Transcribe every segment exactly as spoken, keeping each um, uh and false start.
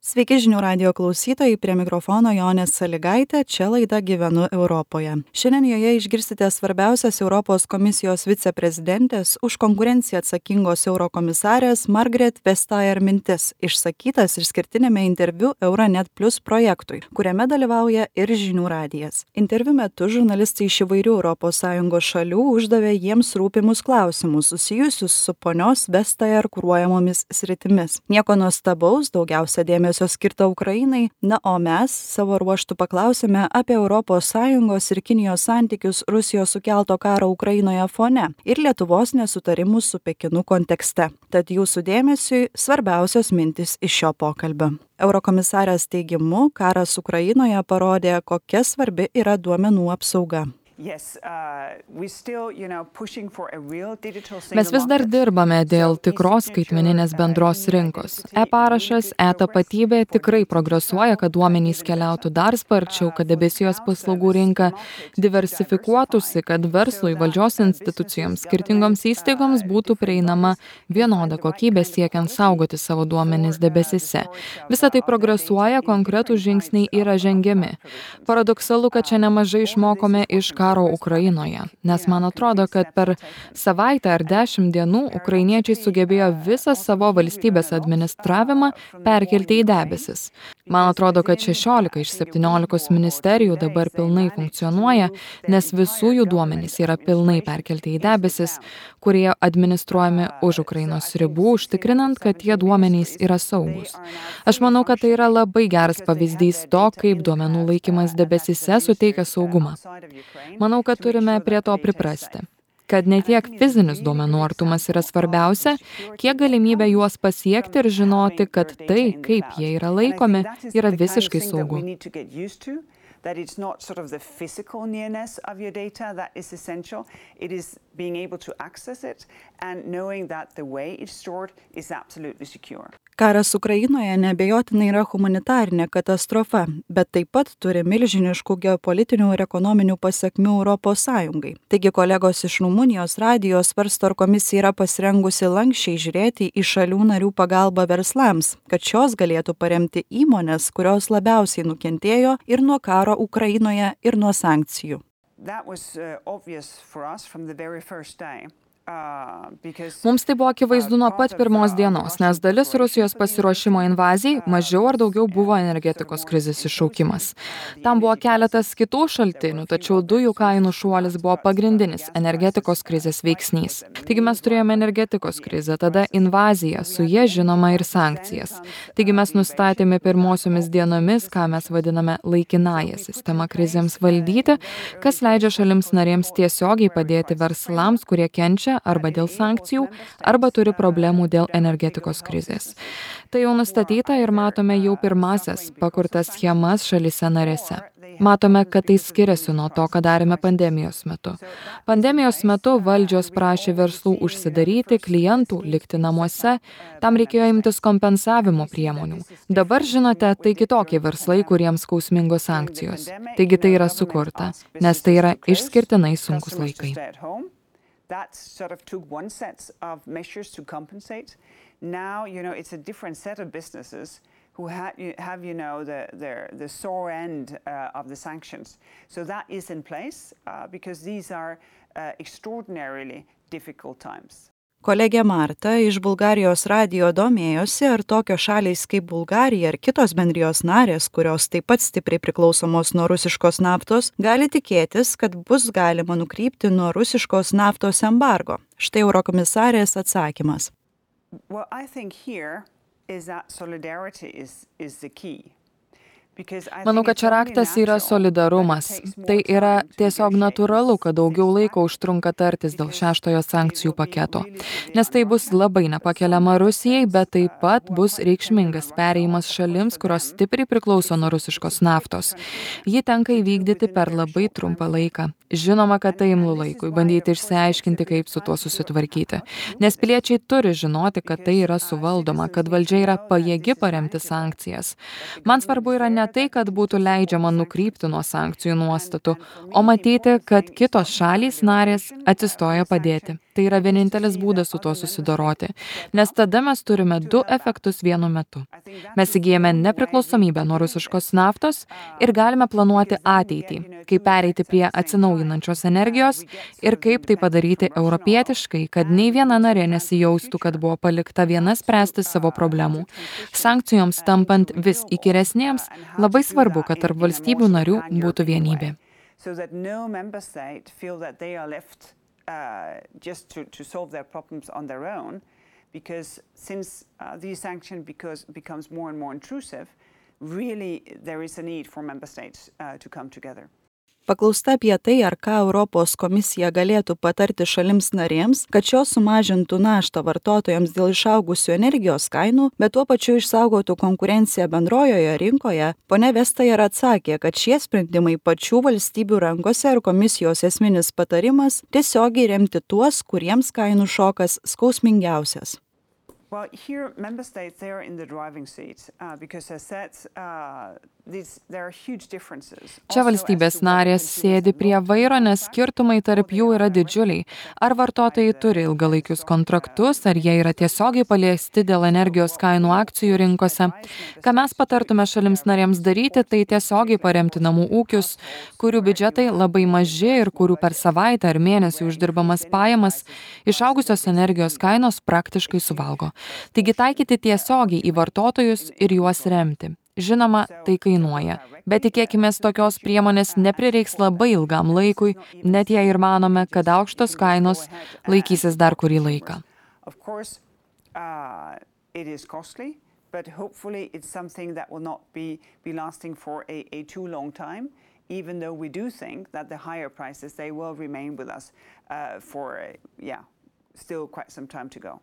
Sveiki žinių radijo klausytojai, prie mikrofono Jonė Saligaitė, čia laida Gyvenu Europoje. Šiandien joje išgirsite svarbiausias Europos komisijos viceprezidentės už konkurenciją atsakingos eurokomisarės Margrethe Vestager mintis, išsakytas išskirtinėme interviu Euronet Plus projektui, kuriame dalyvauja ir žinių radijas. Interviu metu žurnalistai iš įvairių Europos Sąjungos šalių uždavė jiems rūpimus klausimus susijusius su ponios Vestager kuruojamomis sritimis. Nieko nuostabaus, daugiausia dėmesio skirta Ukrainai, na o mes savo ruožtu paklausėme apie Europos Sąjungos ir Kinijos santykius Rusijos sukelto karo Ukrainoje fone ir Lietuvos nesutarimus su Pekinu kontekste. Tad jūsų dėmesiui svarbiausios mintis iš šio pokalbio. Eurokomisarės teigimu, karas Ukrainoje parodė, kokia svarbi yra duomenų apsauga. Yes, uh, we still, you know, pushing for a real digital single Mes vis dar dirbame dėl tikros skaitmeninės bendros rinkos. E-parašas, e-tapatybė tikrai progresuoja, kad duomenys keliautų dar sparčiau, kad debesijos paslaugų rinka diversifikuotųsi, kad verslui, valdžios institucijoms, skirtingoms įstaigoms būtų prieinama vienoda kokybė siekiant saugoti savo duomenys debesise. Visa tai progresuoja, konkretūs žingsniai yra žengiami. Paradoksalu, kad čia nemažai išmokome iš karo Ukrainoje, nes man atrodo, kad per savaitę ar dešimt dienų ukrainiečiai sugebėjo visą savo valstybės administravimą perkelti į debesis. Man atrodo, kad šešiolika iš septyniolikos ministerijų dabar pilnai funkcionuoja, nes visų jų duomenys yra pilnai perkelti į debesis, kurie administruojami už Ukrainos ribų, užtikrinant, kad tie duomenys yra saugus. Aš manau, kad tai yra labai geras pavyzdys to, kaip duomenų laikymas debesise suteikia saugumą. Manau, kad turime prie to priprasti, kad ne tiek fizinis duomenų artumas yra svarbiausia, kiek galimybė juos pasiekti ir žinoti, kad tai, kaip jie yra laikomi, yra visiškai saugu. That it's not sort of the physical nearness of your data that is essential. It is being able to access it and knowing that the way it's stored is absolutely secure. Karas Ukrainoje neabejotinai yra humanitarinė katastrofa, bet taip pat turi milžiniškų geopolitinių ir ekonominių pasekmių Europos Sąjungai. Taigi kolegos iš Rumunijos radijo svarsto, ar komisija yra pasirengusi lanksčiai žiūrėti į šalių narių pagalbą verslams, kad šios galėtų paremti įmones, kurios labiausiai nukentėjo ir nuo karo Ukrainoje ir nuo sankcijų. That was uh, obvious for us from the very first day. Mums tai buvo akivaizdu nuo pat pirmos dienos, nes dalis Rusijos pasiruošimo invazijai mažiau ar daugiau buvo energetikos krizės iššaukimas. Tam buvo keletas kitų šaltinių, tačiau dujų kainų šuolis buvo pagrindinis energetikos krizės veiksnys. Taigi mes turėjome energetikos krizę, tada invaziją, su jie žinoma ir sankcijas. Taigi mes nustatėme pirmosiomis dienomis, ką mes vadiname laikinąją sistemą krizėms valdyti, kas leidžia šalims narėms tiesiogiai padėti verslams, kurie kenčia arba dėl sankcijų, arba turi problemų dėl energetikos krizės. Tai jau nustatyta ir matome jau pirmasias pakurtas schemas šalyse narėse. Matome, kad tai skiriasi nuo to, ką darėme pandemijos metu. Pandemijos metu valdžios prašė verslų užsidaryti, klientų likti namuose, tam reikėjo imtis kompensavimo priemonių. Dabar, žinote, tai kitokie verslai, kuriems skausmingos sankcijos. Taigi tai yra sukurta, nes tai yra išskirtinai sunkus laikai. That sort of took one set of measures to compensate. Now, you know, it's a different set of businesses who ha have, you know, the, the, the sore end uh, of the sanctions. So that is in place uh, because these are uh, extraordinarily difficult times. Kolegė Marta iš Bulgarijos radijo domėjosi, ar tokios šalys kaip Bulgarija ir kitos bendrijos narės, kurios taip pat stipriai priklausomos nuo rusiškos naftos, gali tikėtis, kad bus galima nukrypti nuo rusiškos naftos embargo. Štai eurokomisarės atsakymas. Well, I think here is that solidarity is, is the key. Manau, kad čia raktas yra solidarumas. Tai yra tiesiog natūralu, kad daugiau laiko užtrunka tartis dėl šeštojo sankcijų paketo. Nes tai bus labai nepakeliama Rusijai, bet taip pat bus reikšmingas perėjimas šalims, kurios stipriai priklauso nuo rusiškos naftos. Jį tenka įvykdyti per labai trumpą laiką. Žinoma, kad tai imlu laikui, bandyti išsiaiškinti, kaip su tuo susitvarkyti. Nes piliečiai turi žinoti, kad tai yra suvaldoma, kad valdžia yra pajėgi paremti sankcijas. Man svarbu yra ne tai, kad būtų leidžiama nukrypti nuo sankcijų nuostatų, o matyti, kad kitos šalys narės atsistoja padėti. tai yra vienintelis būdas su tuo susidoroti, nes tada mes turime du efektus vienu metu. Mes įgyjame nepriklausomybę nuo rusiškos naftos ir galime planuoti ateitį, kaip pereiti prie atsinaujinančios energijos ir kaip tai padaryti europietiškai, kad nei viena narė nesijaustų, kad buvo palikta viena spręsti savo problemų. Sankcijoms tampant vis įkyresnėms, labai svarbu, kad tarp valstybių narių būtų vienybė. So that no member state feel that they are left uh, just to, to solve their problems on their own, because since uh, these sanctions because, becomes more and more intrusive, really there is a need for member states uh, to come together. Paklausta apie tai, ar ką Europos komisija galėtų patarti šalims narėms, kad šios sumažintų naštą vartotojams dėl išaugusių energijos kainų, bet tuo pačiu išsaugotų konkurenciją bendrojoje rinkoje, ponia Vestager atsakė, kad šie sprendimai pačių valstybių rankose ir komisijos esminis patarimas tiesiogiai remti tuos, kuriems kainų šokas skausmingiausias. Well, here member states, they are in the driving seat uh, because as said, uh, these, there are huge differences. Čia valstybės narės sėdi prie vairo, nes skirtumai tarp jų yra didžiuliai. Ar vartotojai turi ilgalaikius kontraktus, ar jie yra tiesiogiai paliesti dėl energijos kainų akcijų rinkose. Ką mes patartume šalims narėms daryti, tai tiesiogiai paremti namų ūkius, kurių biudžetai labai maži ir kurių per savaitę ar mėnesį uždirbamas pajamas išaugusios energijos kainos praktiškai suvalgo. Taigi taikyti tiesiogiai į vartotojus ir juos remti. Žinoma, tai kainuoja, bet tikėkimės tokios priemonės neprireiks labai ilgam laikui, net jei ir manome, kad aukštos kainos laikysis dar kurį laiką. Of course, uh, it is costly, but hopefully it's something that will not be, be lasting for a, a too long time, even though we do think that the higher prices, they will remain with us uh, for, uh, yeah, still quite some time to go.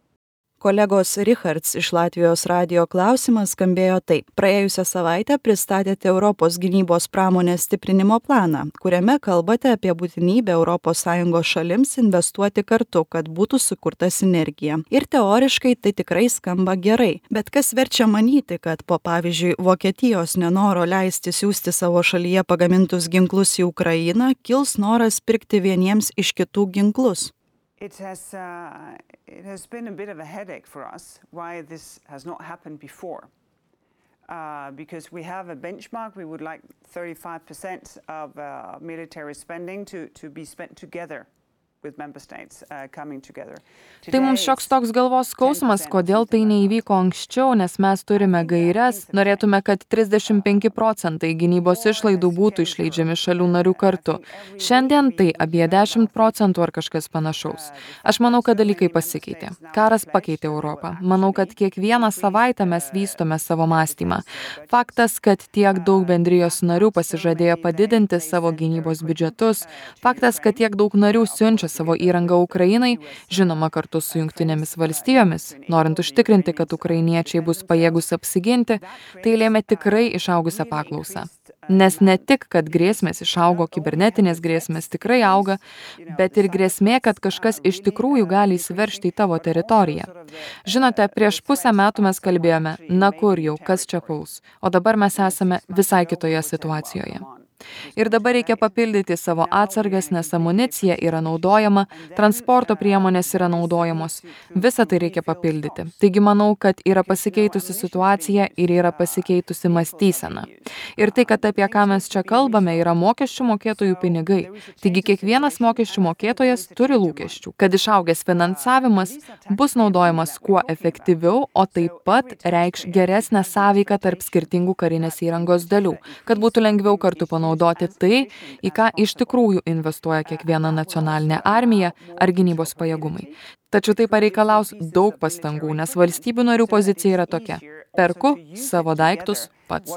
Kolegos Richards iš Latvijos radijo klausimas skambėjo taip. Praėjusią savaitę pristatėte Europos gynybos pramonės stiprinimo planą, kuriame kalbate apie būtinybę Europos Sąjungos šalims investuoti kartu, kad būtų sukurta sinergija. Ir teoriškai tai tikrai skamba gerai. Bet kas verčia manyti, kad po pavyzdžiui Vokietijos nenoro leisti siųsti savo šalyje pagamintus ginklus į Ukrainą, kils noras pirkti vieniems iš kitų ginklus? It has, uh, it has been a bit of a headache for us why this has not happened before. Uh, because we have a benchmark, we would like thirty-five percent of uh, military spending to, to be spent together with member states uh, coming together. Tai mums šioks toks galvos skausmas, kodėl tai neįvyko anksčiau, nes mes turime gaires, norėtume, kad trisdešimt penki procentai gynybos išlaidų būtų išleidžiami šalių narių kartu. Šiandien tai apie dešimt procentų ar kažkas panašaus. Aš manau, kad dalykai pasikeitė. Karas pakeitė Europą. Manau, kad kiekvieną savaitę mes vystome savo mąstymą. Faktas, kad tiek daug bendrijos narių pasižadėjo padidinti savo gynybos biudžetus, faktas, kad tiek daug narių siunčia savo įrangą Ukrainai, žinoma kartu su Jungtinėmis valstijomis, norint užtikrinti, kad ukrainiečiai bus pajėgus apsiginti, tai lėmė tikrai išaugusią paklausą. Nes ne tik, kad grėsmės išaugo, kibernetinės grėsmės tikrai auga, bet ir grėsmė, kad kažkas iš tikrųjų gali įsiveržti į tavo teritoriją. Žinote, prieš pusę metų mes kalbėjome, na kur jau, kas čia puls, o dabar mes esame visai kitoje situacijoje. Ir dabar reikia papildyti savo atsargas, nes amunicija yra naudojama, transporto priemonės yra naudojamos. Visą tai reikia papildyti. Taigi manau, kad yra pasikeitusi situacija ir yra pasikeitusi mąstysena. Ir tai, kad apie ką mes čia kalbame, yra mokesčių mokėtojų pinigai. Taigi kiekvienas mokesčių mokėtojas turi lūkesčių, kad išaugęs finansavimas bus naudojamas kuo efektyviau, o taip pat reikš geresnę sąveiką tarp skirtingų karinės įrangos dalių, kad būtų lengviau kartu panaudoti naudoti tai, į ką iš tikrųjų investuoja kiekviena nacionalinė armija ar gynybos pajėgumai. Tačiau tai pareikalaus daug pastangų, nes valstybių narių pozicija yra tokia. Perku savo daiktus pats.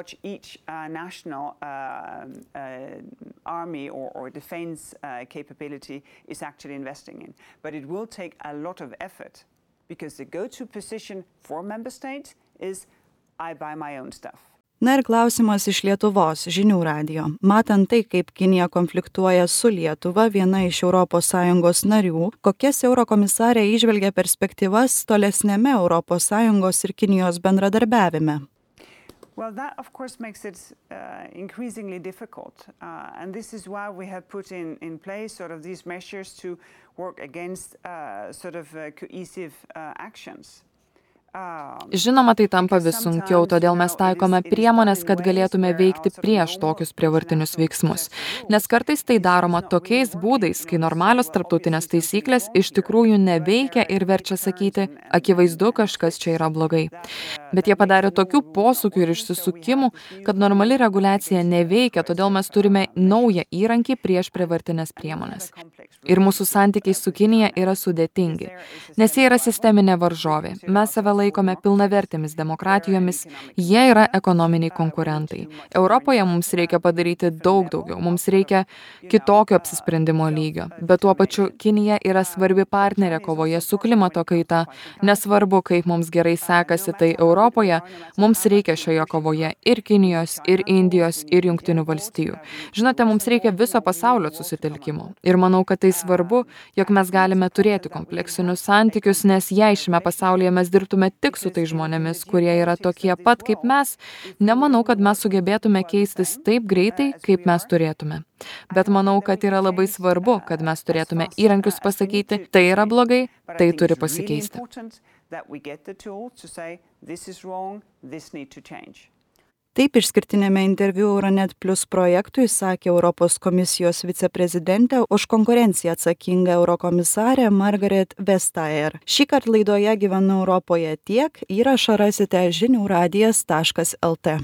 Na ir klausimas iš Lietuvos žinių radijo. Matant tai, kaip Kinija konfliktuoja su Lietuva, viena iš Europos Sąjungos narių, kokias eurokomisarė įžvelgia perspektyvas tolesnėme Europos Sąjungos ir Kinijos bendradarbiavime? Well, that of course makes it uh, increasingly difficult, uh, and this is why we have put in, in place sort of these measures to work against uh, sort of uh, cohesive uh, actions. Žinoma, tai tampa vis sunkiau, todėl mes taikome priemonės, kad galėtume veikti prieš tokius prievartinius veiksmus. Nes kartais tai daroma tokiais būdais, kai normalios tarptautinės taisyklės iš tikrųjų neveikia ir verčia sakyti, akivaizdu, kažkas čia yra blogai. Bet jie padarė tokių posūkių ir išsisukimų, kad normali reguliacija neveikia, todėl mes turime naują įrankį prieš prievartinės priemonės. Ir mūsų santykiai su Kinija yra sudėtingi, nes jie yra sisteminė varžovė. Mes save laikome pilnavertėmis demokratijomis, jie yra ekonominiai konkurentai. Europoje mums reikia padaryti daug daugiau, mums reikia kitokio apsisprendimo lygio. Bet tuo pačiu Kinija yra svarbi partnerė kovoje su klimato kaita. Nesvarbu, kaip mums gerai sekasi, tai Europoje mums reikia šioje kovoje ir Kinijos, ir Indijos, ir Jungtinių valstijų. Žinote, mums reikia viso pasaulio susitelkimo. Ir manau, kad tai svarbu, jog mes galime turėti kompleksinius santykius, nes jei šiame pasaulyje mes dirbtume tik su tai žmonėmis, kurie yra tokie pat kaip mes, nemanau, kad mes sugebėtume keistis taip greitai, kaip mes turėtume. Bet manau, kad yra labai svarbu, kad mes turėtume įrankius pasakyti, tai yra blogai, tai turi pasikeisti. Taip išskirtinėme interviu Euronet Plus projektui sakė Europos komisijos viceprezidentė už konkurenciją atsakinga eurokomisarė Margaret Vestager. Šįkart laidoje Gyvenu Europoje tiek, įrašą rasite žinių radijas taškas lt.